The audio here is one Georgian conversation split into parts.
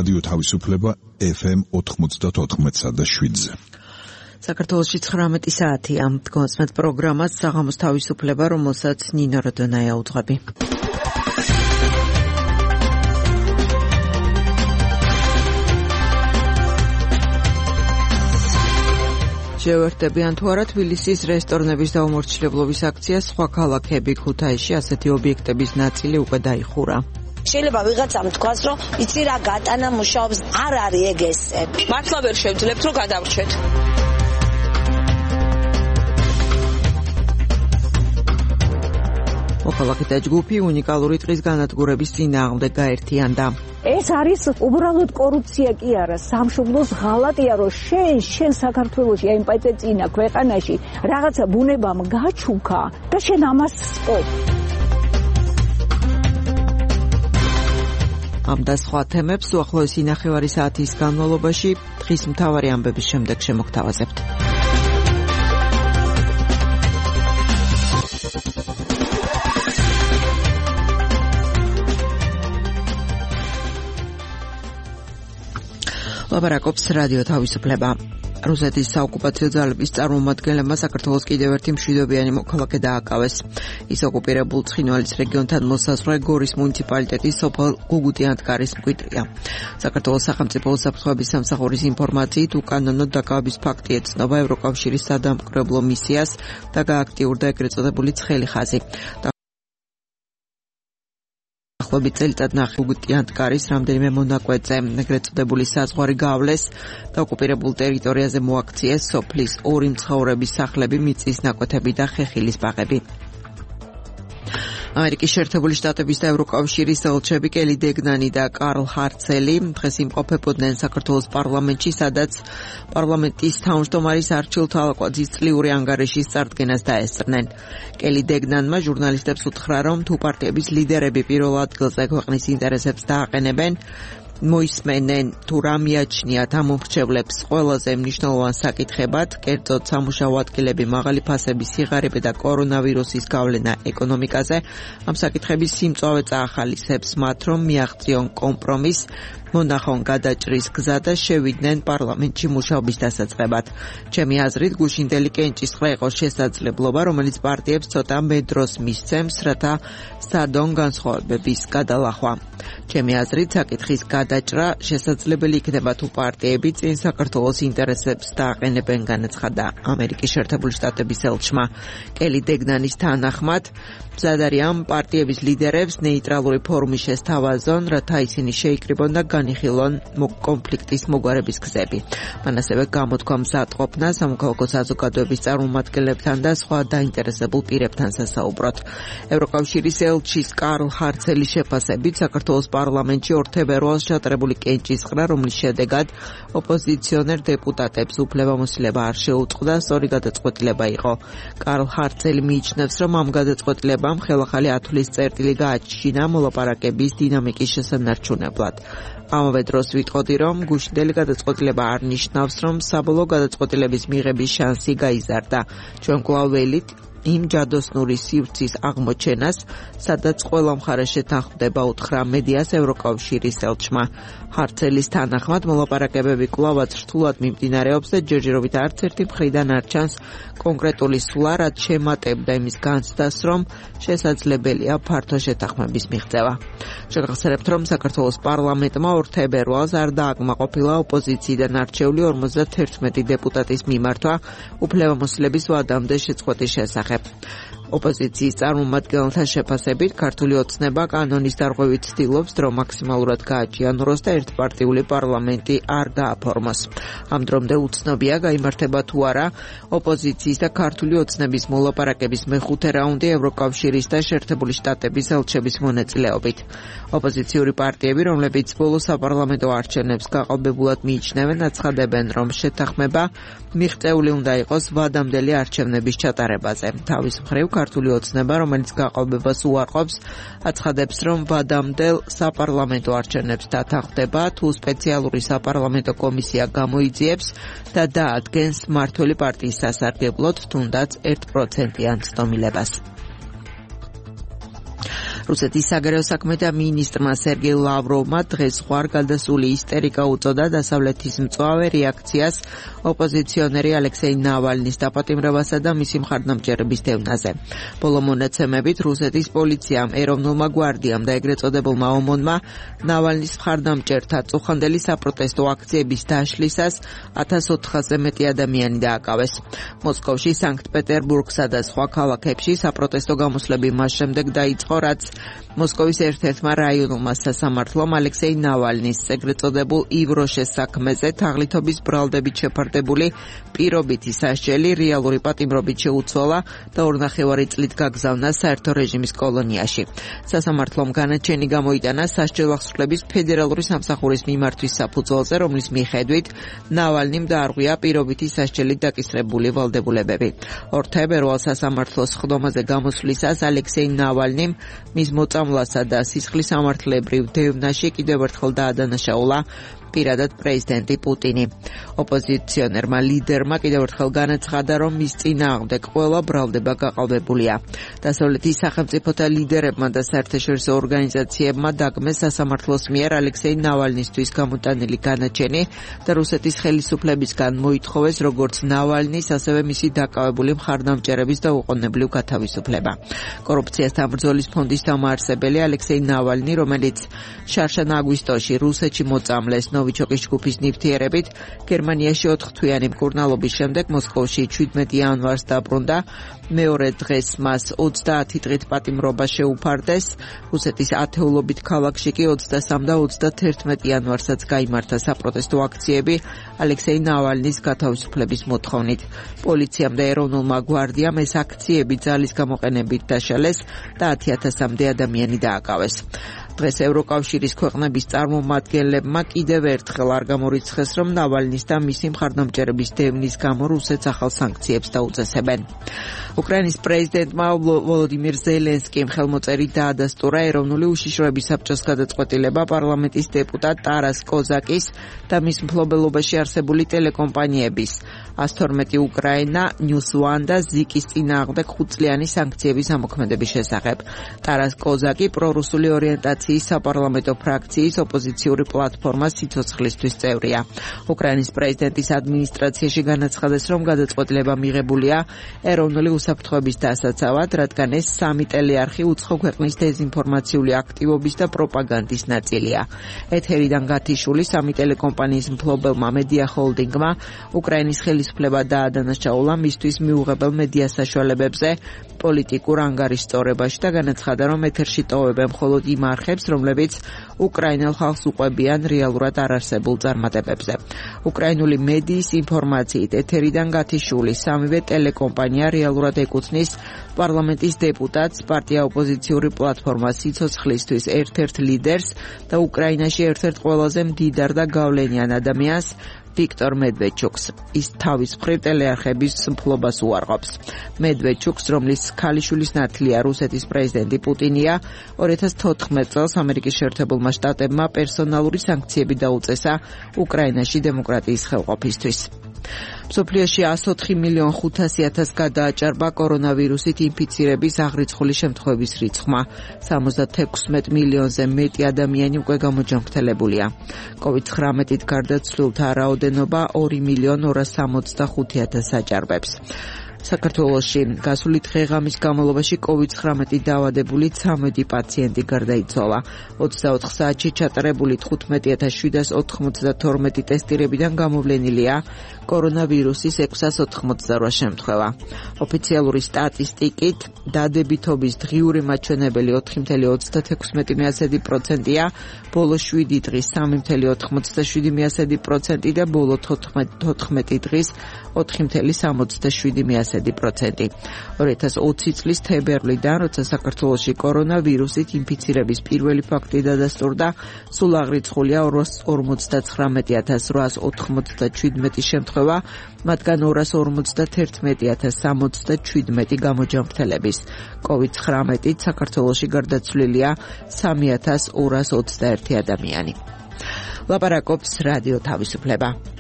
რადიო თავისუფლება FM 94.7-ზე. საქართველოში 19 საათია. დგომასმეთ პროგრამას საღამოს თავისუფლება, რომელსაც ნინო როდონაია უძღვები. შევერთებიან თუ არა თბილისის რესტორნების დაუმორჩილებლობის აქცია, სხვა ქალაქები ქუთაისში ასეთი ობიექტების ნაწილი უკვე დაიხურა. შეიძლება ვიღაცამ თქვას, რომ იცი რა გატანა მუშაობს, არ არის ეგ ესე. მართლა ვერ შევძლებთ, რომ გადავრჩეთ. მოქალაქეთა ჯგუფი უნიკალური დღის განადგურების წინააღმდეგ გაერთიანდა. ეს არის უბრალოდ კორუფცია კი არა, სამშობლოს ღალატია, რომ შენ საქართველოში აი პაიტეცინა ქვეყანაში რაღაცა ბუნებამ გაჩუქა და შენ ამას სწობ. ამ და სხვა თემებს უახლოესი ნახევარი საათის განმავლობაში დღის მთავარი ამბების შემდეგ შემოგთავაზებთ. ლაპარაკობს რადიო თავისუფლება. რუსეთის საოკუპაციო ძალების წარმომადგენლებმა საქართველოს კიდევ ერთი მშვიდობიანი მოქალაქე დააკავეს. ის ოკუპირებულ ცხინვალის რეგიონთან მოსაზღვრე გორის მუნიციპალიტეტის სოფელ გუგუტიანთკარის მკვიდრია. საქართველოს სახელმწიფო უსაფრთხოების სამსახურის ინფორმაციით უკანონოდ დაკავების ფაქტი ეცნობა ევროკავშირის სადამკვირვებლო მისიას და გააქტიურდა ეგრეთ წოდებული ცხელი ხაზი. ახლობით წელიწად ნახევარი გუგუტიანთკარის რამდენიმე მონაკვეთზე ეგრეთ წოდებული საზღვარი გავლეს და ოკუპირებულ ტერიტორიაზე მოაქციეს სოფლის ორი მცხოვრების სახლები, მიწის ნაკვეთები და ხეხილის ბაღები. ამერიკის შეერთებული შტატების და ევროკავშირის ელჩები კელი დეგნანი და კარლ ჰარცელი დღეს იმყოფებოდნენ საქართველოს პარლამენტში, სადაც პარლამენტის თავმჯდომარის არჩილ თვალაკვაძის წლიური ანგარიშის წარდგენას დაესწრნენ. კელი დეგნანმა ჟურნალისტებს უთხრა, რომ თუ პარტიების ლიდერები პირველ ადგილზე ქვეყნის ინტერესებს დააყენებენ, მოისმენენ თუ რა მიაჩნიათ ამ მომრჩევლებს ყველაზე მნიშვნელოვან საკითხებად, კერძოდ სამუშაო ადგილები, მაღალი ფასები, სიღარიბე და კორონავირუსის გავლენა ეკონომიკაზე, ამ საკითხების სიმწვავე წაახალისებს მათ, რომ მიაღწიონ კომპრომისს, მონახონ გადაჭრის გზა და შევიდნენ პარლამენტში მუშაობის დასაწყებად. ჩემი აზრით, გუშინდელი კენჭისყრა იყო შესაძლებლობა, რომელიც პარტიებს ცოტა მედროს მისცემს, რათა სადონ განსხვავებების გადალახვა. ჩემი აზრით, საკითხის გადაჭრა შესაძლებელი იქნება თუ პარტიები წინ საქართველოს ინტერესებს დააყენებენ, განაცხადა ამერიკის შეერთებული შტატების ელჩმა. კელი დეგნანის თანახმად, მზად არიან პარტიების ლიდერებს ნეიტრალური ფორუმი შესთავაზონ, რათა ისინი შეიკრიბონ და განიხილონ კონფლიქტის მოგვარების გზები. მან ასევე გამოთქვა მზად ყოფნა სამოქალაქო საზოგადოების წარმომადგენლებთან და სხვა დაინტერესებულ პირებთან სასაუბროთ. ევროკავშირის ელჩის კარლ ჰარცელის შეფასებით, საქართველოს პარლამენტში 2 თებერვალს ჩატარებული კენჭისყრა, რომლის შედეგად ოპოზიციონერ დეპუტატებს უფლებამოსილება არ შეუწყდა, სწორი გადაწყვეტილება იყო. კარლ ჰარცელი მიიჩნევს, რომ ამ გადაწყვეტილებამ ხელახალი ათვლის წერტილი გააჩინა მოლაპარაკების დინამიკის შესანარჩუნებლად. ამავე დროს ვიტყოდი, რომ გუშინდელი გადაწყვეტილება არ ნიშნავს, რომ საბოლოო გადაწყვეტილების მიღების შანსი გაიზარდა. ჩვენ კვლავ ველით იმ ჯადოსნური სივრცის აღმოჩენას, სადაც ყველა მხარე შეთანხმდება, უთხრა მედიას ევროკავშირის ელჩმა. ჰარცელის თანახმად, მოლაპარაკებები კვლავაც რთულად მიმდინარეობს და ჯერჯერობით არც ერთი მხრიდან არ ჩანს კონკრეტული სვლა, რაც შემატებდა იმის განცდას, რომ შესაძლებელია ფართო შეთანხმების მიღწევა. შეგახსენებთ, რომ საქართველოს პარლამენტმა 2 თებერვალს არ დააკმაყოფილა ოპოზიციიდან არჩეული 51 დეპუტატის მიმართვა უფლებამოსილების ვადამდე შეწყვეტის შესახებ. ოპოზიციის წარმომადგენელთა შეფასებით, ქართული ოცნება კანონის დარღვევით ცდილობს დრო მაქსიმალურად გააჭიანუროს და ერთპარტიული პარლამენტი არ გააფორმოს. ამ დრომდე უცნობია, გაიმართება თუ არა ოპოზიციის და ქართული ოცნების მოლაპარაკების მეხუთე რაუნდი ევროკავშირის და შეერთებული შტატების ელჩების მონაწილეობით. ოპოზიციური პარტიები, რომლებიც ბოლო საპარლამენტო არჩევნებს გაყალბებულად მიიჩნევენ, აცხადებენ, რომ შეთანხმება მიღწეული უნდა იყოს ვადამდელი არჩევნების ჩატარებაზე. თავის მხრივ, ქართული ოცნება, რომელიც გაყალბებას უარყოფს, აცხადებს, რომ ვადამდელ საპარლამენტო არჩევნებს დათანხმდება, თუ სპეციალური საპარლამენტო კომისია გამოიძიებს და დაადგენს მმართველი პარტიის სასარგებლოდ, თუნდაც 1%-იან ცდომილებას. რუსეთის საგარეო საქმეთა მინისტრმა სერგეი ლავროვმა დღეს ზღვარ გადასული ისტერიკა უწოდა დასავლეთის მწვავე რეაქციას ოპოზიციონერი ალექსეი ნავალნის დაპატიმრებასა და მისი მხარდამჭერების დევნაზე. ბოლო მონაცემებით რუსეთის პოლიციამ, ეროვნულმა გვარდიამ და ეგრეთ წოდებულმა ომონმა ნავალნის მხარდამჭერთა წუხანდელი საპროტესტო აქციების დაშლისას 1400-ზე მეტი ადამიანი დააკავეს. მოსკოვში, სანქტ-პეტერბურგსა და სხვა ქალაქებში საპროტესტო გამოსვლები მას შემდეგ დაიწყო, რაც მოსკოვის ერთ-ერთმა რაიონულმა სასამართლომ ალექსეი ნავალნის ეგრეთ წოდებულ ივროშეს საქმეზე თაღლითობის ბრალდებით შეფარდებული პირობითი სასჯელი რეალური პატიმრობით შეუცვალა და 2.5 წლით გაგზავნა საერთო რეჟიმის კოლონიაში. სასამართლომ განაჩენი გამოიტანა სასჯელახსრლების ფედერალური სამსახურის მიმართვის საფუძველზე, რომლის მიხედვით ნავალნიმ დაარღვია პირობითი სასჯელით დაკისრებული ვალდებულებები. 2 თებერვალს სასამართლოს სხდომაზე გამოსვლისას ალექსეი ნავალნიმ მის მოწამვლასა და სისხლის სამართლებრივ დევნაში კიდევ ერთხელ დაადანაშაულა პირადად პრეზიდენტი პუტინი. ოპოზიციონერმა ლიდერმა კიდევ ერთხელ განაცხადა, რომ მის წინააღმდეგ ყველა ბრალდება გაყალბებულია. დასავლეთის სახელმწიფოთა ლიდერებმა და საერთაშორისო ორგანიზაციებმა დაგმეს სასამართლოს მიერ ალექსეი ნავალნისთვის გამოტანილი განაჩენი და რუსეთის ხელისუფლებისგან მოითხოვეს როგორც ნავალნის, ასევე მისი დაკავებული მხარდამჭერების დაუყოვნებლივ გათავისუფლება. კორუფციასთან ბრძოლის ფონდის დამაარსებელი ალექსეი ნავალნი, რომელიც შარშან აგვისტოში რუსეთში მოწამლეს ნოვიჩოკის ჯგუფის ნივთიერებით, გერმანიაში 4 თვიანი მკურნალობის შემდეგ მოსკოვში 17 იანვარს დაბრუნდა. მეორე დღეს მას 30 დღით პატიმრობა შეუფარდეს. რუსეთის ათეულობით ქალაქში კი 23 და 31 იანვარსაც გაიმართა საპროტესტო აქციები ალექსეი ნავალნის გათავისუფლების მოთხოვნით. პოლიციამ და ეროვნულმა გვარდიამ ეს აქციები ძალის გამოყენებით დაშალეს და 10,000-მდე ადამიანი დააკავეს. დღეს ევროკავშირის ქვეყნების წარმომადგენლებმა კიდევ ერთხელ არ გამორიცხეს, რომ ნავალნის და მისი მხარდამჭერების დევნის გამო რუსეთს ახალ სანქციებს დაუწესებენ. უკრაინის პრეზიდენტმა ვოლოდიმირ ზელენსკიმ ხელმოწერით დაადასტურა ეროვნული უშიშროების საბჭოს გადაწყვეტილება პარლამენტის დეპუტატ ტარას კოზაკის და მის მფლობელობაში არსებული ტელეკომპანიების 112 უკრაინა, News One და ზიკის წინააღმდეგ 5-წლიანი სანქციების ამოქმედების შესახებ. ტარას კოზაკი პრორუსული ორიენტაციის საპარლამენტო ფრაქციის ოპოზიციური პლატფორმა სიცოცხლისთვის წევრია. უკრაინის პრეზიდენტის ადმინისტრაციაში განაცხადეს, რომ გადაწყვეტილება მიღებულია ეროვნული უსაფრთხოების დასაცავად, რადგან ეს სამი ტელეარხი უცხო ქვეყნის დეზინფორმაციული აქტივობის და პროპაგანდის ნაწილია. ეთერიდან გათიშული სამი ტელეკომპანიის მფლობელმა მედია ჰოლდინგმა უკრაინის ხელისუფლება დაადანაშაულა მისთვის მიუღებელ მედია საშუალებებზე პოლიტიკურ ანგარიშწორებაში და განაცხადა, რომ ეთერში ტოვებენ მხოლოდ იმ არხებს, რომლებიც უკრაინელ ხალხს უყვებიან რეალურად არარსებულ წარმატებებზე. უკრაინული მედიის ინფორმაციით ეთერიდან გათიშული სამივე ტელეკომპანია რეალურად ეკუთვნის პარლამენტის დეპუტატს, პარტია ოპოზიციური პლატფორმა სიცოცხლისთვის ერთ-ერთ ლიდერს და უკრაინაში ერთ-ერთ ყველაზე მდიდარ და გავლენიან ადამიანს ვიქტორ მედვედჩუკს. ის თავის მხრივ ტელეარხების მფლობას უარყოფს. მედვედჩუკს, რომლის ქალიშვილის ნათლია რუსეთის პრეზიდენტი პუტინია, 2014 წელს ამერიკის შეერთებულმა შტატებმა პერსონალური სანქციები დაუწესა უკრაინაში დემოკრატიის ხელყოფისთვის. მსოფლიოში 104,500,000 გადააჭარბა კორონავირუსით ინფიცირების აღრიცხული შემთხვევების რიცხვმა. 76 მილიონზე მეტი ადამიანი უკვე გამოჯანმრთელებულია. COVID-19-ით გარდაცვლილთა რაოდენობა 2,265,000 აჭარბებს. საქართველოში გასული დღე-ღამის განმავლობაში COVID-19 დაავადებული 13 პაციენტი გარდაიცვალა. 24 საათში ჩატარებული 15,792 ტესტირებიდან გამოვლენილია კორონავირუსის 688 შემთხვევა. ოფიციალური სტატისტიკით დადებითობის დღიური მაჩვენებელი 4,36%-ია, ბოლო 7 დღის 3,87% და ბოლო 14 დღის 4,67%. 2020 წლის თებერვლიდან, როცა საქართველოში კორონავირუსით ინფიცირების პირველი ფაქტი დადასტურდა, სულ აღრიცხულია 250,897 შემთხვევა, მათგან 251,067 გამოჯანმრთელების. COVID-19-ით საქართველოში გარდაცვლილია 3,221 ადამიანი. ლაპარაკობს რადიო თავისუფლება.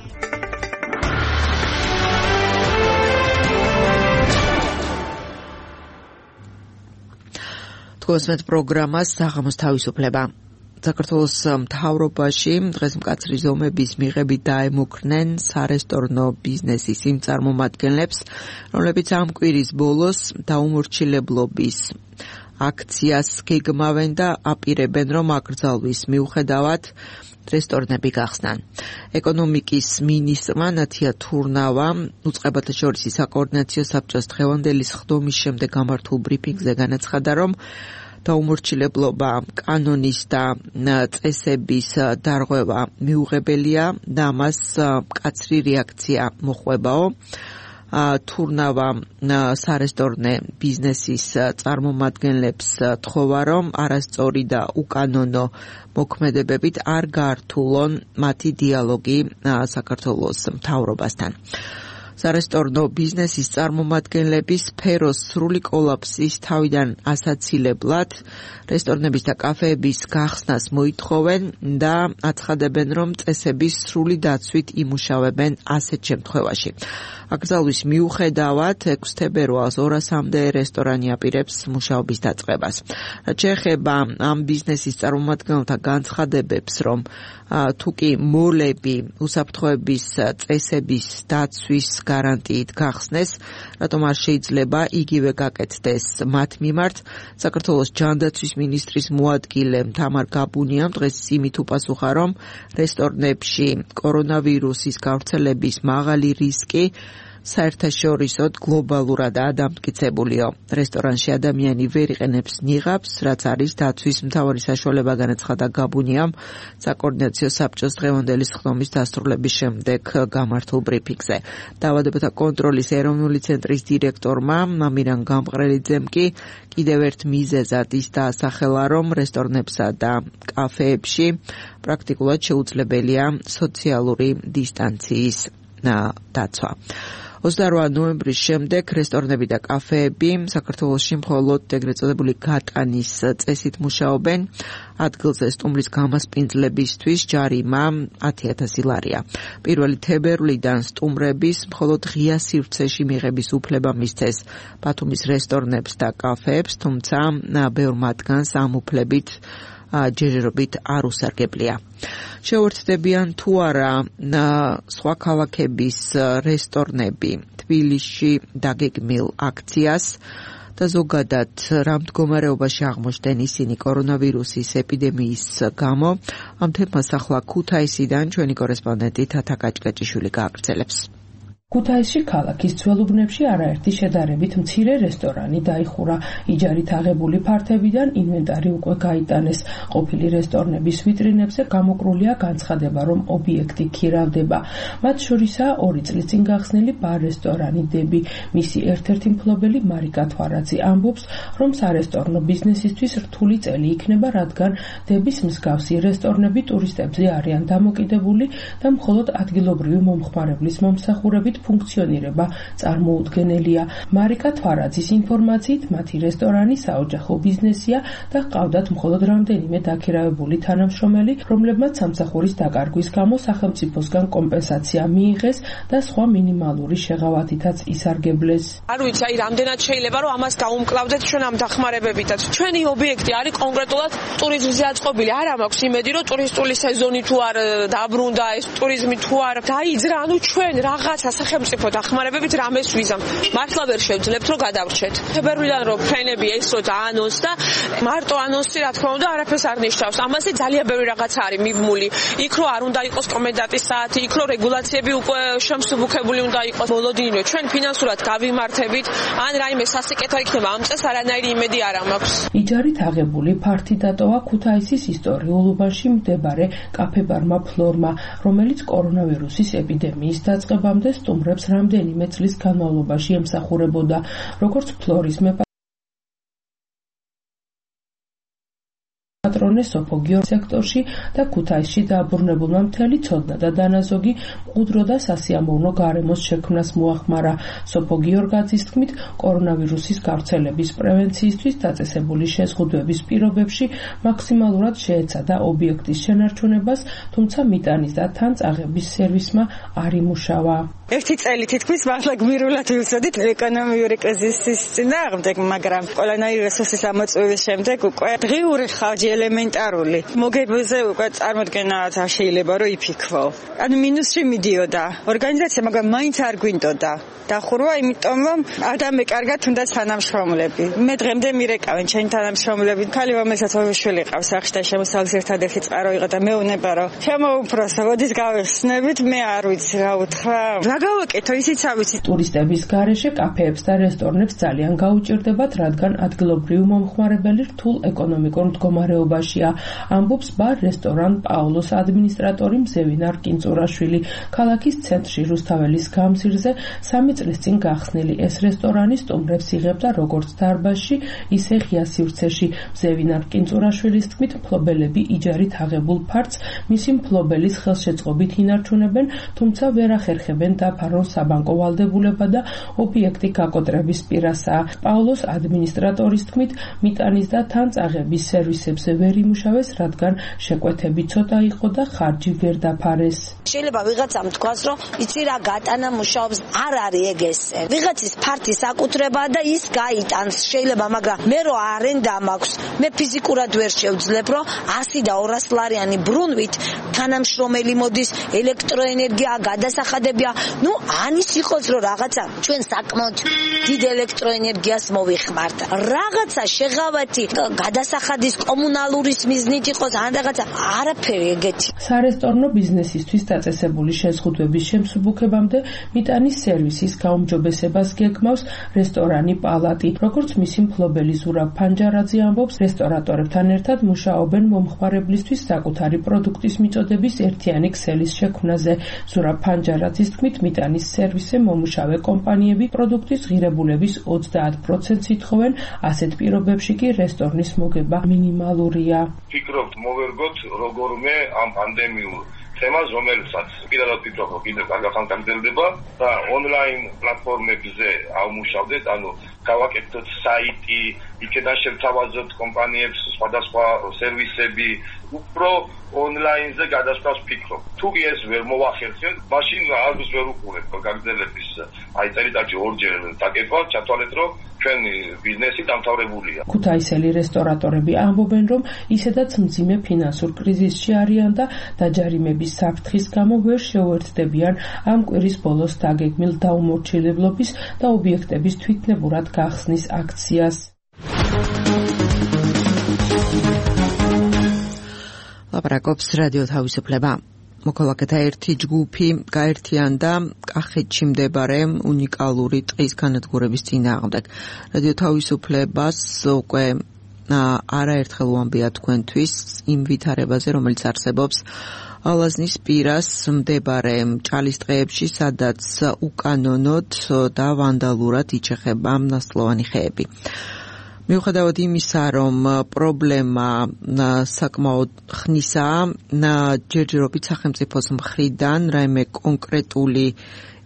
გოსმეთ პროგრამას საღამოს თავისუფლება. საქართველოს მთავრობაში დღეს მკაცრი ზომების მიღებით დაემუქრნენ სარესტორნო ბიზნესის იმ წარმომადგენლებს, რომლებიც ამ კვირის ბოლოს დაუმორჩილებლობის აქციას გეგმავენ და აპირებენ, რომ აკრძალვის მიუხედავად რესტორნები გახსნან. ეკონომიკის მინისტრმა ნათია თურნავამ უწყებათა შორის საკოორდინაციო საბჭოს დღევანდელი სხდომის შემდეგ გამართულ ბრიფინგზე განაცხადა, რომ დაუმორჩილებლობა კანონის და წესების დარღვევა მიუღებელია და მას მკაცრი რეაქცია მოჰყვებაო. თურნავა სარესტორნე ბიზნესის წარმომადგენლებს თხოვა, რომ არასწორი და უკანონო მოქმედებებით არ გაართულონ მათი დიალოგი საქართველოს მთავრობასთან. სარესტორნო ბიზნესის წარმომადგენლების სფეროს სრული კოლაფსის თავიდან ასაცილებლად რესტორნების და კაფეების გახსნას მოითხოვენ და აცხადებენ, რომ წესების სრული დაცვით იმუშავებენ ასეთ შემთხვევაში. აკრძალვის მიუხედავად 6 თებერვალს 200-მდე რესტორანი აპირებს მუშაობის დაწყებას. რაც შეეხება ამ ბიზნესის წარმომადგენელთა განცხადებებს, რომ თუკი მოლები უსაფრთხოების წესების დაცვის გარანტიით გახსნეს, რატომ არ შეიძლება იგივე გაკეთდეს მათ მიმართ, საქართველოს ჯანდაცვის მინისტრის მოადგილე თამარ გაბუნიამ დღეს იმით უპასუხა, რომ რესტორნებში კორონავირუსის გავრცელების მაღალი რისკი საერთაშორისოდ გლობალურადაა დამტკიცებულიო. რესტორანში ადამიანი ვერ იყენებს ნიღაბს, რაც არის დაცვის მთავარი საშუალება, განაცხადა გაბუნიამ საკოორდინაციო საბჭოს დღევანდელი სხდომის დასრულების შემდეგ გამართულ ბრიფინგზე. დაავადებათა კონტროლის ეროვნული ცენტრის დირექტორმა მამირან გამყრელიძემ კი კიდევ ერთ მიზეზად ის დაასახელა, რომ რესტორნებსა და კაფეებში პრაქტიკულად შეუძლებელია სოციალური დისტანციის დაცვა. 28 ნოემბრის შემდეგ რესტორნები და კაფეები საქართველოში მხოლოდ ეგრეთ წოდებული გატანის წესით მუშაობენ. ადგილზე სტუმრის გამასპინძლებისთვის ჯარიმა 10,000 ლარია. 1 თებერვლიდან სტუმრების მხოლოდ ღია სივრცეში მიღების უფლება მისცეს ბათუმის რესტორნებს და კაფეებს, თუმცა ბევრ მათგანს ამ უფლებით ჯერჯერობით არ უსარგებლია. შეუერთდებიან თუ არა სხვა ქალაქების რესტორნები თბილისში დაგეგმილ აქციას და ზოგადად რა მდგომარეობაში აღმოჩნდნენ ისინი კორონავირუსის ეპიდემიის გამო, ამ თემას ახლა ქუთაისიდან ჩვენი კორესპონდენტი თათა კაჭკაჭიშვილი გააგრძელებს. ქუთაისში ქალაქის ძველუბნებში არაერთი შედარებით მცირე რესტორანი დაიხურა. იჯარით აღებული ფართებიდან ინვენტარი უკვე გაიტანეს. ყოფილი რესტორნების ვიტრინებზე გამოკრულია განცხადება, რომ ობიექტი ქირავდება. მათ შორისაა 2 წლის წინ გახსნილი ბარ-რესტორანი დები. მისი ერთ-ერთი მფლობელი მარიკა თვარაძე ამბობს, რომ სარესტორნო ბიზნესისთვის რთული წელი იქნება, რადგან დების მსგავსი რესტორნები ტურისტებზე არიან დამოკიდებული და მხოლოდ ადგილობრივი მომხმარებლის მომსახურებით ფუნქციონირება წარმოუდგენელია. მარიკა თვარაძის ინფორმაციით, მათი რესტორანი საოჯახო ბიზნესია და ჰყავდათ მხოლოდ რამდენიმე დაქირავებული თანამშრომელი, რომლებმაც სამსახურის დაკარგვის გამო სახელმწიფოსგან კომპენსაცია მიიღეს და სხვა მინიმალური შეღავათითაც ისარგებლეს. არ ვიცი, რამდენად შეიძლება რომ ამას გაუმკლავდეთ ჩვენ ამ დახმარებებითაც. ჩვენი ობიექტი არის კონკრეტულად ტურიზმზე აწყობილი. არ მაქვს იმედი, რომ ტურისტული სეზონი თუ არ დაბრუნდა, ეს ტურიზმი თუ არ დაიძრა, ანუ ჩვენ რაღაცა სახელმწიფო დახმარებებით რამეს ვიზამ. მართლა ვერ შევძლებთ რომ გადავრჩეთ. თებერვლიდან რომ ფრენები ეს რო დაანონსდა, მარტო ანონსი რა თქმა უნდა არაფერს არ ნიშნავს. ამაზე ძალიან ბევრი რაღაცა არის მიბმული. იქ რო არ უნდა იყოს კომენდანტის საათი, იქ რო რეგულაციები უკვე შემსუბუქებული უნდა იყოს. მოლოდინივე ჩვენ ფინანსურად გავიმართებით, ან რაიმე სასიკეთო იქნება ამ წელს არანაირი იმედი არ მაქვს. იჯარით აღებული ფართი დატოვა ქუთაისის ისტორიულ უბანში მდებარე კაფე-ბარმა ფლორმა, რომელიც კორონავირუსის ეპიდემიის დაწყებამდე სტუმრებს რამდენიმე წლის განმავლობაში ემსახურებოდა. როგორც ფლორის პატრონე სოფოგიო სექტორში და ქუთაისში დააბრუნებულმა მთელი ცოდნა და დანაზოგი მყუდრო და სასიამოვნო გარემოს შექმნას მოახმარა. სოფოგიორ გაძის თქმით, კორონავირუსის გავრცელების პრევენციისთვის დაწესებული შეზღუდვების პირობებში მაქსიმალურად შეეცადა ობიექტის შენარჩუნებას, თუმცა მიტანის და თან წაღების სერვისმა არ იმუშავა. ერთი წელი თითქმის მართლა გმირულად ვივსოდით ეკონომიური კრიზისის წინააღმდეგ, მაგრამ ყველანაირი რესურსის ამოწურვის შემდეგ უკვე დღიური ხარჯი ელემენტარული მოგებაზე უკვე წარმოდგენა არ შეიძლება რომ იფიქრო. ანუ მინუსში მიდიოდა ორგანიზაცია, მაგრამ მაინც არ გვინდოდა დახურვა, იმიტომ რომ არ დამეკარგა თუნდაც თანამშრომლები. მე დღემდე მირეკავენ ჩემი თანამშრომლები, ქალი რომელსაც ორი შვილი ყავს სახში და შემოსავლის ერთადერთი წყარო იყო და მეუნება რომ შემოუბროსო, როდის გავიხსნებით, მე არ ვიცი რა უთხრა. რა გავაკეთო, ისიც არ ვიცი. ტურისტების გარეშე კაფეებს და რესტორნებს ძალიან გაუჭირდებათ, რადგან ადგილობრივი მომხმარებელი რთულ ეკონომიკურ მდგომარეობაშია. ამბობს ბარ-რესტორან პაულოს ადმინისტრატორი მზევინარ კინწურაშვილი. ქალაქის ცენტრში რუსთაველის გამზირზე 3 წლის წინ გახსნილი ეს რესტორანი სტუმრებს იღებდა როგორც დარბაზში, ისე ღია სივრცეში. მზევინარ კინწურაშვილის თქმით, მფლობელები იჯარით აღებულ ფართს მისი მფლობელის ხელშეწყობით ინარჩუნებენ, თუმცა ვერ ახერხებენ დაფარონ საბანკო ვალდებულება და ობიექტი გაკოტრების პირასაა. პაულოს ადმინისტრატორის თქმით, მიტანის და თანწაღების სერვისებზე ვერ იმუშავეს, რადგან შეკვეთები ცოტა იყო და ხარჯი ვერ დაფარეს. შეიძლება ვიღაცამ თქვას, რომ იცი რა გატანა მუშაობს, არ არის ეგ ესე. ვიღაცის ფართი საკუთრებაა და ის გაიტანს შეიძლება, მაგრამ მე რო არენდა მაქვს, მე ფიზიკურად ვერ შევძლებ, რომ 100 და 200 ლარიანი ბრუნვით თანამშრომელი მოდის, ელექტროენერგია, გადასახადებია. ნუ ანის იყოს რომ რაღაცა ჩვენ საკმაოდ დიდ ელექტროენერგიას მოვიხმართ. რაღაცა შეღავათი გადასახადის კომუნალურის მიზნით იყოს, ან რაღაცა არაფერი ეგეთი. სარესტორნო ბიზნესისთვის დაწესებული შეზღუდვების შემსუბუქებამდე მიტანის სერვისის გაუმჯობესებას გეგმავს რესტორანი პალატი. როგორც მისი მფლობელი ზურაბ ფანჯარაძე ამბობს, რესტორატორებთან ერთად მუშაობენ მომხმარებლისთვის საკუთარი პროდუქტის მიწოდების ერთიანი ქსელის შექმნაზე. ზურაბ ფანჯარაძის თქმით, მიტანის სერვისზე მომუშავე კომპანიები პროდუქტის ღირებულების 30%-ს ითხოვენ, ასეთ პირობებში კი რესტორნის მოგება მინიმალურია. ფიქრობთ მოვერგოთ როგორმე ამ პანდემიურ თემას, რომელსაც პირადად ვფიქრობ, რომ კიდევ კარგად გაგრძელდება და ონლაინ პლატფორმებზე ავმუშავდეთ, ანუ გავაკეთოთ საიტი, იქიდან შევთავაზოთ კომპანიებს სხვადასხვა სერვისები, უფრო ონლაინზე გადასვლას ვფიქრობ. თუ ეს ვერ მოვახერხებთ, მაშინ არც ვერ უყურებ გაგრძელების წელიწადში ორჯერ დაკეთვა, ჩათვალეთ, რომ ჩვენი ბიზნესი დამთავრებულია. ქუთაისელი რესტორატორები ამბობენ, რომ ისედაც მძიმე ფინანსურ კრიზისში არიან და დაჯარიმების საფრთხის გამო ვერ შეუერთდებიან ამ კვირის ბოლოს დაგეგმილ დაუმორჩილებლობის და ობიექტების თვითნებურად გახსნის აქციას. ლაპარაკობს რადიო თავისუფლება. მოქალაქეთა ერთი ჯგუფი გაერთიანდა კახეთში მდებარე უნიკალური ტყის განადგურების წინააღმდეგ. რადიო თავისუფლებას უკვე არაერთხელ უამბია თქვენთვის იმ ვითარებაზე, რომელიც არსებობს ალაზნის პირას მდებარე ჭალის ტყეებში, სადაც უკანონოდ და ვანდალურად იჩეხება ნასლოვანი ხეები. მიუხედავად იმისა, რომ პრობლემა საკმაოდ ხნისაა, ჯერჯერობით სახელმწიფოს მხრიდან რაიმე კონკრეტული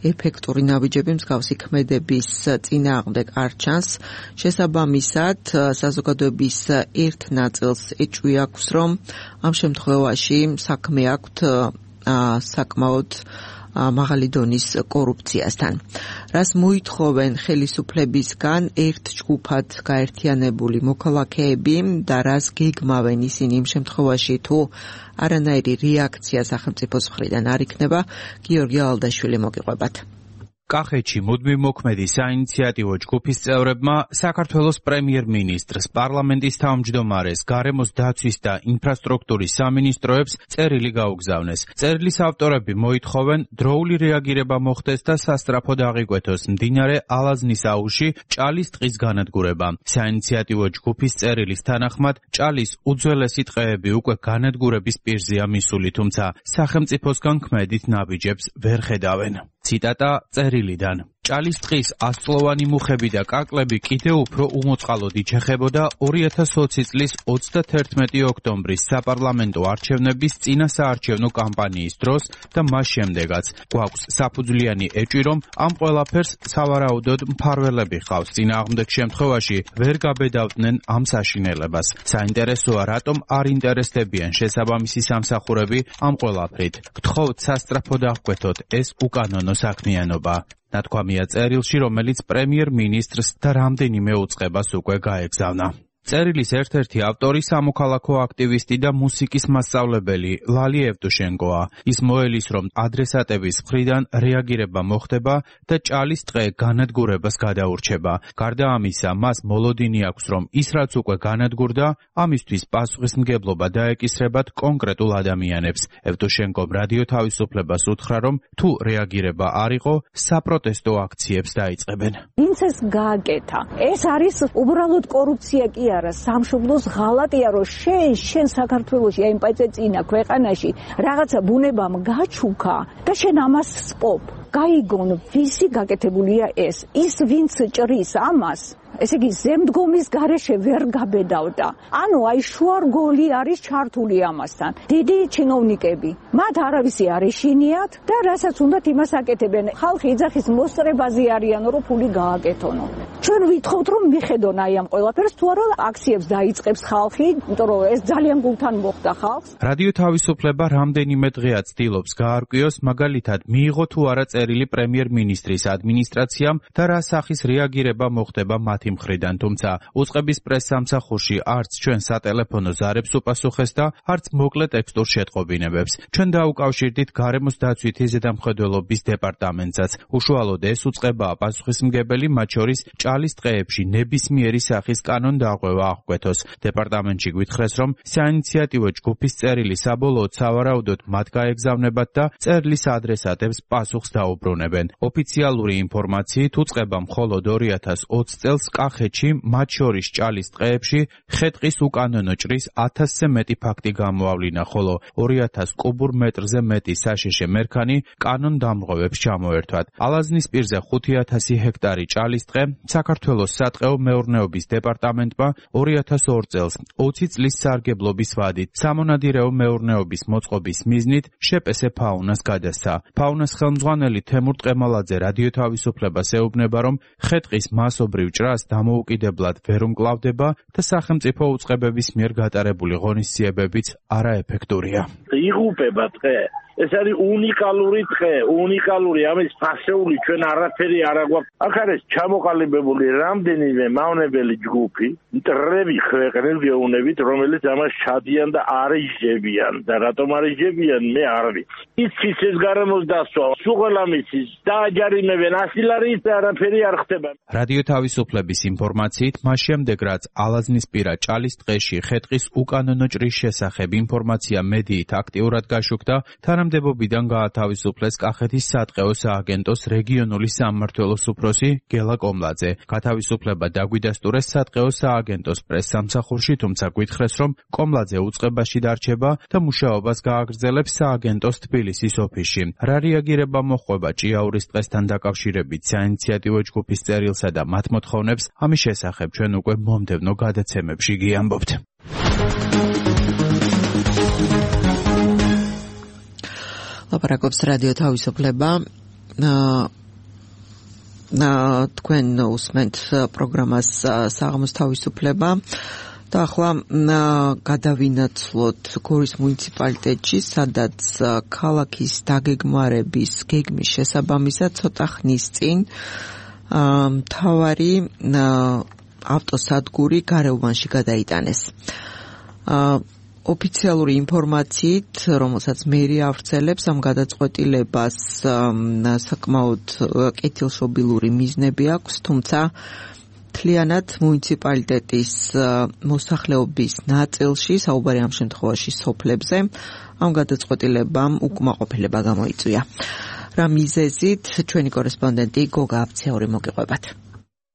ეფექტური ნაბიჯები მსგავსი ქმედების წინააღმდეგ არ ჩანს. შესაბამისად, საზოგადოების ერთ ნაწილს ეჭვი აქვს, რომ ამ შემთხვევაში საქმე აქვთ საკმაოდ მაღალი დონის კორუფციასთან. რას მოითხოვენ ხელისუფლებისგან ერთ ჯგუფად გაერთიანებული მოქალაქეები და რას გეგმავენ ისინი იმ შემთხვევაში, თუ არანაირი რეაქცია სახელმწიფოს მხრიდან არ იქნება, გიორგი ალდაშვილი მოგიყვებათ. კახეთში მუდმივ მოქმედი საინიციატივო ჯგუფის წევრებმა საქართველოს პრემიერ-მინისტრს, პარლამენტის თავმჯდომარეს, გარემოს დაცვის და ინფრასტრუქტურის სამინისტროებს წერილი გაუგზავნეს. წერილის ავტორები მოითხოვენ დროული რეაგირება მოხდეს და სასწრაფოდ აღიკვეთოს მდინარე ალაზნის აუზში ჭალის ტყის განადგურება. საინიციატივო ჯგუფის წერილის თანახმად, ჭალის უძველესი ტყეები უკვე განადგურების პირზეა მისული, თუმცა სახელმწიფოსგან ქმედით ნაბიჯებს ვერ ხედავენ. ციტატა წერილიდან. ჭალის ტყის 100-წლოვანი მუხები და კაკლები კიდევ უფრო უმოწყალოდ იჩეხებოდა 2020 წლის 31 ოქტომბრის საპარლამენტო არჩევნების წინასაარჩევნო კამპანიის დროს და მას შემდეგაც. გვაქვს საფუძვლიანი ეჭვი, რომ ამ ყველაფერს სავარაუდოდ მფარველები ხავს. წინააღმდეგ შემთხვევაში ვერ გაბედავდნენ ამ საშინელებას. საინტერესოა, რატომ არ ინტერესდებიან შესაბამისი სამსახურები ამ ყველაფრით. გთხოვთ სასწრაფოდ აღკვეთოთ ეს უკანონო საქმიანობა. ნათქვამია წერილში, რომელიც პრემიერ-მინისტრს და რამდენიმე უწყებას უკვე გაეგზავნა. წერილის ერთ-ერთი ავტორი სამოქალაქო აქტივისტი და მუსიკის მასწავლებელი ლალი ევტუშენკოა. ის მოელის, რომ ადრესატების მხრიდან რეაგირება მოხდება და ჭალის ტყე განადგურებას გადაურჩება. გარდა ამისა, მას მოლოდინი აქვს, რომ ის რაც უკვე განადგურდა, ამისთვის პასუხისმგებლობა დაეკისრებათ კონკრეტულ ადამიანებს. ევტუშენკომ რადიო თავისუფლებას უთხრა, რომ თუ რეაგირება არ იყო, საპროტესტო აქციებს დაიწყებენ. ვინც ეს გააკეთა? ეს არის უბრალოდ კორუფცია კი არა, სამშობლოს ღალატია, რომ შენ საქართველოში აი პაიწეწინა ქვეყანაში რაღაცა ბუნებამ გაჩუქა და შენ ამას სპობ. გაიგონ, ვისი გაკეთებულია ეს? ის ვინც ჭრის ამას, ესე იგი ზემდგომის გარეშე ვერ გაბედავდა. ანუ აი შუარგოლი არის ჩართული ამასთან. დიდი ჩინოვნიკები, მათ არავისი არ ეშინიათ და რასაც უნდათ იმას აკეთებენ. ხალხი იძახის მოსწრებაზე არიანო, რომ ფული გააკეთონო. ჩვენ ვითხოვთ, რომ მიხედონ აი ამ ყველაფერს, თუ არა აქციებს დაიწყებს ხალხი, იმიტომ რომ ეს ძალიან გულთან მოხდა ხალხს. რადიო თავისუფლება რამდენიმე დღეა ცდილობს გაარკვიოს, მაგალითად, მიიღო თუ არა წერილი პრემიერ-მინისტრის ადმინისტრაციამ და რა სახის რეაგირება მოხდება მათი მხრიდან, თუმცა უწყების პრესსამსახურში არც ჩვენ სატელეფონო ზარებს უპასუხეს და არც მოკლე ტექსტურ შეტყობინებებს. ჩვენ დაუკავშირდით გარემოს დაცვითი ზედამხედველობის დეპარტამენტსაც. უშუალოდ ეს უწყებაა პასუხისმგებელი, მათ შორის ჭალის ტყეებში ნებისმიერი სახის კანონდარღვევა აღკვეთოს. დეპარტამენტში გვითხრეს, რომ საინიციატივო ჯგუფის წერილი საბოლოოდ სავარაუდოდ მათ გაეგზავნებათ და წერლის ადრესატებს პასუხს დაუბრუნებენ. ოფიციალური ინფორმაციით უწყება მხოლოდ 2020 წელს კახეთში, მათ შორის ჭალის ტყეებში, ხე-ტყის უკანონო ჭრის 1000-ზე მეტი ფაქტი გამოავლინა, ხოლო 2000 კუბურ მეტრზე მეტი საშეშე მერქანი კანონდამრღვევებს ჩამოერთვათ. ალაზნის პირზე 5000 ჰექტარი ჭალის ტყე საქართველოს სატყეო მეურნეობის დეპარტამენტმა 2002 წელს 20 წლის სარგებლობის ვადით სამონადირეო მეურნეობის მოწყობის მიზნით შეპესე ფაუნას გადასცა. ფაუნას ხელმძღვანელი თემურ ტყემალაძე რადიო თავისუფლებას ეუბნება, რომ ხე-ტყის მასობრივ ჭრას დამოუკიდებლად ვერ უმკლავდება და სახელმწიფო უწყებების მიერ გატარებული ღონისძიებებიც არაეფექტურია. იღუპება ტყე. ეს არის უნიკალური ტყე, უნიკალური, ამის ფასეული ჩვენ არაფერი არ აგვაქვს. აქ არის ჩამოყალიბებული რამდენიმე მავნებელი ჯგუფი, მტრები ქვეყნის გეუნებით, რომელიც ამას ჩადიან და არიჟებიან და რატომ არიჟებიან, მე არ ვიცი. იცის ეს გარემოს დასვა, სუღელამიცის დააჯარიმებენ, ასილარიც არაფერი არ ხდება. რადიო თავისუფლების ინფორმაციით, მას შემდეგ რაც ალაზნისპირა ჭალის ტყეში ხე-ტყის უკანონო ჭრის შესახებ ინფორმაცია მედიით აქტიურად გაშუქდა, თანამდებობიდან გაათავისუფლეს კახეთის სატყეო სააგენტოს რეგიონული სამმართველოს უფროსი გელა კომლაძე. გათავისუფლება დაგვიდასტურეს სატყეო სააგენტოს პრესსამსახურში, თუმცა გვითხრეს, რომ კომლაძე უწყებაში დარჩება და მუშაობას გააგრძელებს სააგენტოს თბილისის ოფისში. რა რეაგირება მოჰყვება ჭიაურის ტყესთან დაკავშირებით საინიციატივო ჯგუფის წერილსა და მათ მოთხოვნებს, ამის შესახებ ჩვენ უკვე მომდევნო გადაცემებში გიამბობთ. ლაპარაკობს რადიო თავისუფლება. თქვენ უსმენთ პროგრამას საღამოს თავისუფლება და ახლა გადავინაცვლოთ გორის მუნიციპალიტეტში, სადაც ქალაქის დაგეგმარების გეგმის შესაბამისად ცოტა ხნის წინ მთავარი ავტოსადგური გარეუბანში გადაიტანეს. ოფიციალური ინფორმაციით, რომელსაც მერია ავრცელებს, ამ გადაწყვეტილებას საკმაოდ კეთილშობილური მიზნები აქვს, თუმცა მთლიანად მუნიციპალიტეტის მოსახლეობის ნაწილში, საუბარი ამ შემთხვევაში სოფლებზე, ამ გადაწყვეტილებამ უკმაყოფილება გამოიწვია. რა მიზეზით ჩვენი კორესპონდენტი გოგა აფციური მოგიყვებათ.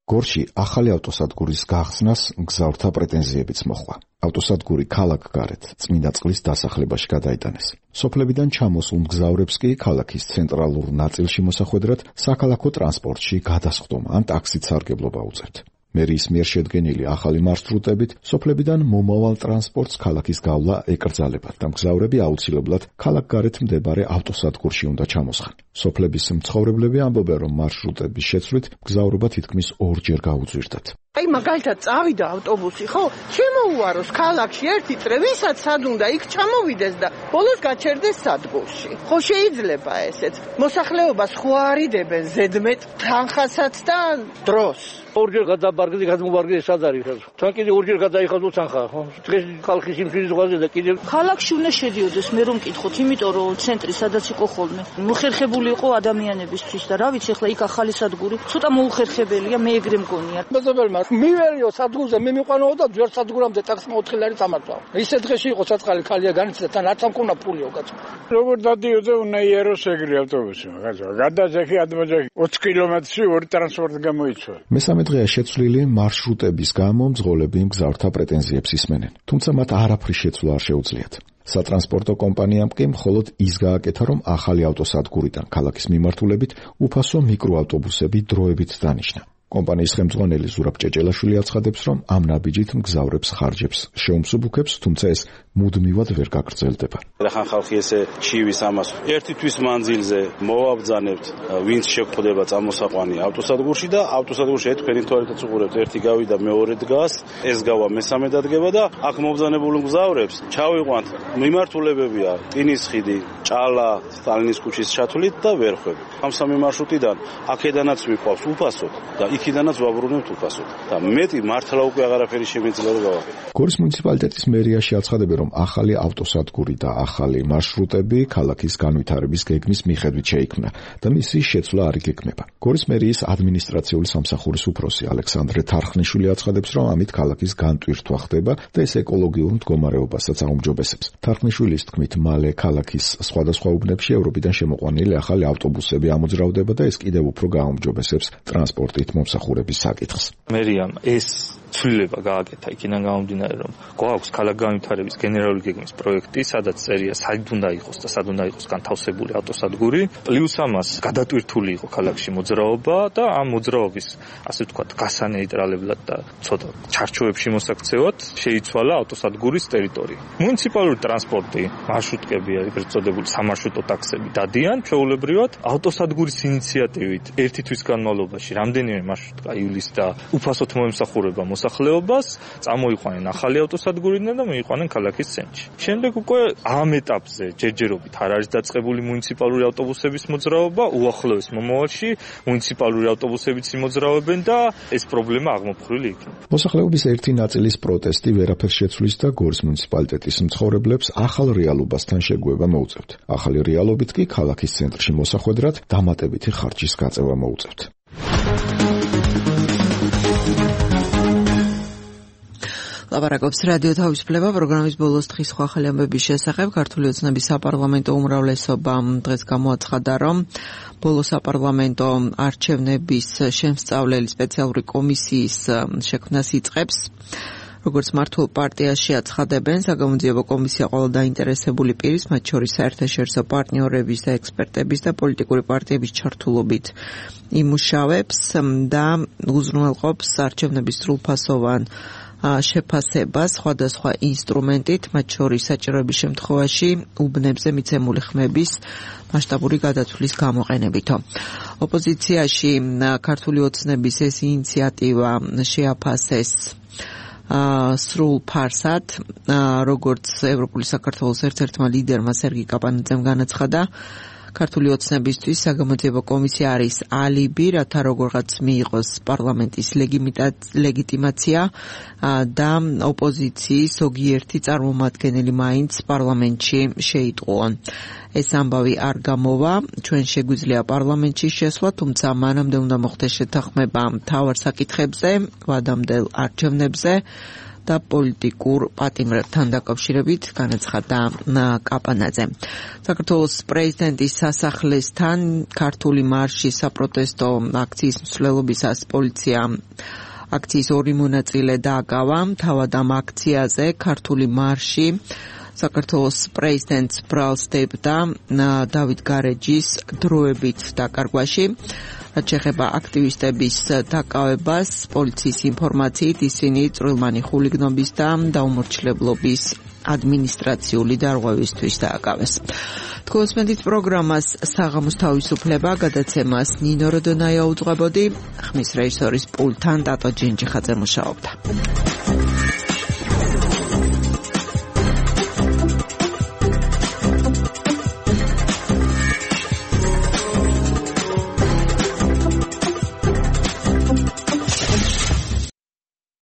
გორში ახალი ავტოსადგურის გახსნას მგზავრთა პრეტენზიებიც მოხდა. ავტოსადგური ქალაქგარეთ წმინდა წყლის დასახლებაში გადაიტანეს. სოფლებიდან ჩამოსულ მგზავრებს კი ქალაქის ცენტრალურ ნაწილში მოსახვედრად საქალაქო ტრანსპორტში გადასხდომა ან ტაქსით სარგებლობა უწევთ. მერიის მიერ შედგენილი ახალი მარშრუტებით სოფლებიდან მომავალ ტრანსპორტს ქალაქის გავლა ეკრძალებათ და მგზავრები აუცილებლად ქალაქგარეთ მდებარე ავტოსადგურში უნდა ჩამოსხან. სოფლების მცხოვრებლები ამბობენ, რომ მარშრუტების შეცვლით მგზავრობა თითქმის ორჯერ გაუძვირდათ. აი მაგალითად წავიდა ავტობუსი, ხო? შემოუაროს ქალაქში ერთი წრე, ვისაც სად უნდა იქ ჩამოვიდეს და ბოლოს გაჩერდეს სადგურში. ხო შეიძლება ესეც. მოსახლეობას ხო არიდებენ ზედმეტ თანხასაც და დროს. ორჯერ გადაბარგდი, გადმოვარგდი სად არის? თან კიდე ორჯერ გადაიხადო თანხა, ხო? დღეს ხალხის იმშვიდის ზღვაზე და კიდე ქალაქში უნდა შედიოდეს, მე რომ მკითხოთ, იმიტომ რომ ცენტრი სადაც იყო ხოლმე. მოხერხებული იყო ადამიანებისთვის და რა ვიცი, ახლა იქ ახალი სადგური, ცოტა მოუხერხებელია, მე ეგრე მგონია. მეზობელმა მივერიო სადგურზე, მე მიყვანო და ჯერ სადგურამდე ტაქსი მოთხელი არის ამართვა. ისე დღეში იყო საწყალი ხალია განიცდა, თან არც ამ მქონა ფული უკაც. როგორ დადიოდა უნდა იეროს ეგრე ავტობუსი, მაგაზო. გადაძახი ადმოძახი 20 კილომეტრში ორი ტრანსპორტი გამოიწვა. მესამე დღეა შეცვლილი მარშრუტების გამო მძღოლები მგზავრთა პრეტენზიებს ისმენენ. თუმცა მათ არაფრის შეცვლა არ შეუძლიათ. სატრანსპორტო კომპანიამ კი მხოლოდ ის გააკეთა, რომ ახალი ავტოსადგურიდან ქალაქის მიმართულებით უფასო მიკროავტობუსები დროებით დანიშნა. კომპანიის ხელმძღვანელი ზურაბ ჭეჭელაშვილი აცხადებს, რომ ამ ნაბიჯით მგზავრებს ხარჯებს შეუმსუბუქებს, თუმცა ეს მუდმივად ვერ გაგრძელდება. რახან ხალხი ესე ჩივის ამას ერთი თვის მანძილზე მოვაბძანებთ, ვინც შეგვხვდება წამოსაყვანი ავტოსადგურში და ავტოსადგურში თქვენი თვალითაც უყურებთ, ერთი გავიდა მეორე დგას, ეს გავა მესამე დადგება და აქ მობძანებულ მგზავრებს ჩავიყვანთ მიმართულებებია რკინის ხიდი, ჭალა, სტალინის ქუჩის ჩათვლით და ვერხვები. ამ სამი მარშრუტიდან აქედანაც ვიყვავს უფასოდ და იქიდანაც ვაბრუნებთ უფასოდ და მეტი მართლა უკვე აღარაფერი შემიძლია რომ გავაკეთო. გორის მუნიციპალიტეტის მერიაში აცხადებენ, რომ ახალი ავტოსადგური და ახალი მარშრუტები ქალაქის განვითარების გეგმის მიხედვით შეიქმნა და მისი შეცვლა არ იგეგმება. გორის მერიის ადმინისტრაციული სამსახურის უფროსი ალექსანდრე თარხნიშვილი აცხადებს, რომ ამით ქალაქის განტვირთვა ხდება და ეს ეკოლოგიურ მდგომარეობასაც აუმჯობესებს. თარხნიშვილის თქმით, მალე ქალაქის სხვადასხვა უბნებში ევროპიდან შემოყვანილი ახალი ავტობუსები ამოძრავდება და ეს კიდევ უფრო გააუმჯობესებს ტრანსპორტით მომსახურების საკითხს. მერიამ ეს ცვლილება გააკეთა იქიდან გამომდინარე, რომ გვაქვს ქალაქ განვითარების გენერალური გეგმის პროექტი, სადაც წერია სად უნდა იყოს და სად უნდა იყოს განთავსებული ავტოსადგური, პლუს ამას გადატვირთული იყო ქალაქში მოძრაობა და ამ მოძრაობის, ასე ვთქვათ, გასანეიტრალებლად და ცოტა ჩარჩოებში მოსაქცევად შეიცვალა ავტოსადგურის ტერიტორია. მუნიციპალური ტრანსპორტი, მარშრუტკები, ეგრეთ წოდებული სამარშრუტო ტაქსები დადიან ჩვეულებრივად ავტოსადგურის ინიციატივით ერთი თვის განმავლობაში რამდენიმე მარშრუტკა ივლისს და უფასოდ მოემსახურება მოსახლეობას, წამოიყვანენ ახალი ავტოსადგურიდან და მიიყვანენ ქალაქის ცენტრში. შემდეგ უკვე ამ ეტაპზე ჯერჯერობით არ არის დაწყებული მუნიციპალური ავტობუსების მოძრაობა, უახლოეს მომავალში მუნიციპალური ავტობუსებიც იმოძრავებენ და ეს პრობლემა აღმოფხვრილი იქნება. მოსახლეობის ერთი ნაწილის პროტესტი ვერაფერს შეცვლის და გორის მუნიციპალიტეტის მცხოვრებლებს ახალ რეალობასთან შეგუება მოუწევთ. ახალი რეალობით კი ქალაქის ცენტრში მოსახვედრად დამატებითი ხარჯის გაწევა მოუწევთ. ლაპარაკობს რადიო თავისუფლება პროგრამის ბოლოს დღის სხვა ახალი ამბების შესახებ. ქართული ოცნების საპარლამენტო უმრავლესობა დღეს გამოაცხადა, რომ ბოლო საპარლამენტო არჩევნების შემსწავლელი სპეციალური კომისიის შექმნას იწყებს. როგორც მართულ პარტიაში აცხადებენ, საგამოძიებო კომისია ყველა დაინტერესებული პირის, მათ შორის საერთაშორისო პარტნიორების და ექსპერტების და პოლიტიკური პარტიების ჩართულობით იმუშავებს და უზრუნველყოფს არჩევნების სრულფასოვან შეფასებას სხვადასხვა ინსტრუმენტით, მათ შორის საჭიროების შემთხვევაში უბნებზე მიცემული ხმების მასშტაბური გადათვლის გამოყენებითო. ოპოზიციაში ქართული ოცნების ეს ინიციატივა შეაფასეს სრულ ფარსად, როგორც ევროპული საქართველოს ერთ-ერთმა ლიდერმა სერგი კაპანაძემ განაცხადა, ქართული ოცნებისთვის საგამოძიებო კომისია არის ალიბი, რათა როგორღაც მიიღოს პარლამენტის ლეგიტიმაცია და ოპოზიციის ზოგიერთი წარმომადგენელი მაინც პარლამენტში შეიტყუონ. ეს ამბავი არ გამოვა, ჩვენ შეგვიძლია პარლამენტში შესვლა, თუმცა მანამდე უნდა მოხდეს შეთანხმება მთავარ საკითხებზე, ვადამდელ არჩევნებზე და პოლიტიკურ პატიმრებთან დაკავშირებით განაცხადა კაპანაძე. საქართველოს პრეზიდენტის სასახლესთან ქართული მარშის საპროტესტო აქციის მსვლელობისას პოლიციამ აქციის ორი მონაწილე დააგავა. თავად ამ აქციაზე ქართული მარში საქართველოს პრეზიდენტს ბრალს დებდა დავით გარეჯის დროებით დაკარგვაში. რაც შეეხება აქტივისტების დაკავებას, პოლიციის ინფორმაციით ისინი წვრილმანი ხულიგნობის და დაუმორჩილებლობის ადმინისტრაციული დარღვევისთვის დააკავეს. თქოსმენით პროგრამას საღამოს თავისუფლება გადაცემას ნინო როდონაია უძღვებოდი, ხმის რეჟისორის პულტთან ტატო ჯინჯიხაძე მუშაობდა.